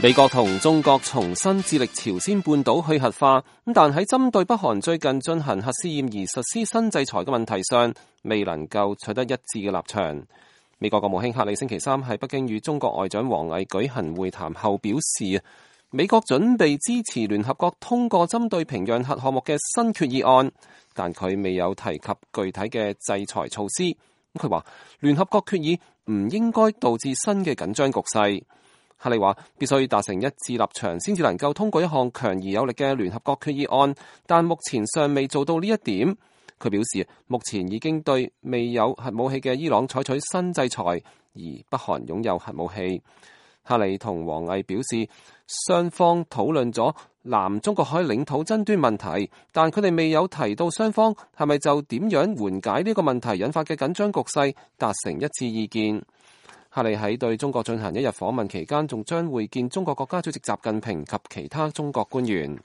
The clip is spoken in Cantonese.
美國同中國重新致力朝鮮半島去核化，但喺針對北韓最近進行核試驗而實施新制裁嘅問題上，未能夠取得一致嘅立場。美國國務卿克里星期三喺北京與中國外長王毅舉行會談後表示，美國準備支持聯合國通過針對平壤核項目嘅新決議案，但佢未有提及具體嘅制裁措施。佢話聯合國決議唔應該導致新嘅緊張局勢。克里話必須達成一致立場先至能夠通過一項強而有力嘅聯合國決議案，但目前尚未做到呢一點。佢表示目前已經對未有核武器嘅伊朗採取新制裁，而北韓擁有核武器。克里同王毅表示，雙方討論咗南中國海領土爭端問題，但佢哋未有提到雙方係咪就點樣緩解呢個問題引發嘅緊張局勢達成一致意見。克里喺對中國進行一日訪問期間，仲將會見中國國家主席習近平及其他中國官員。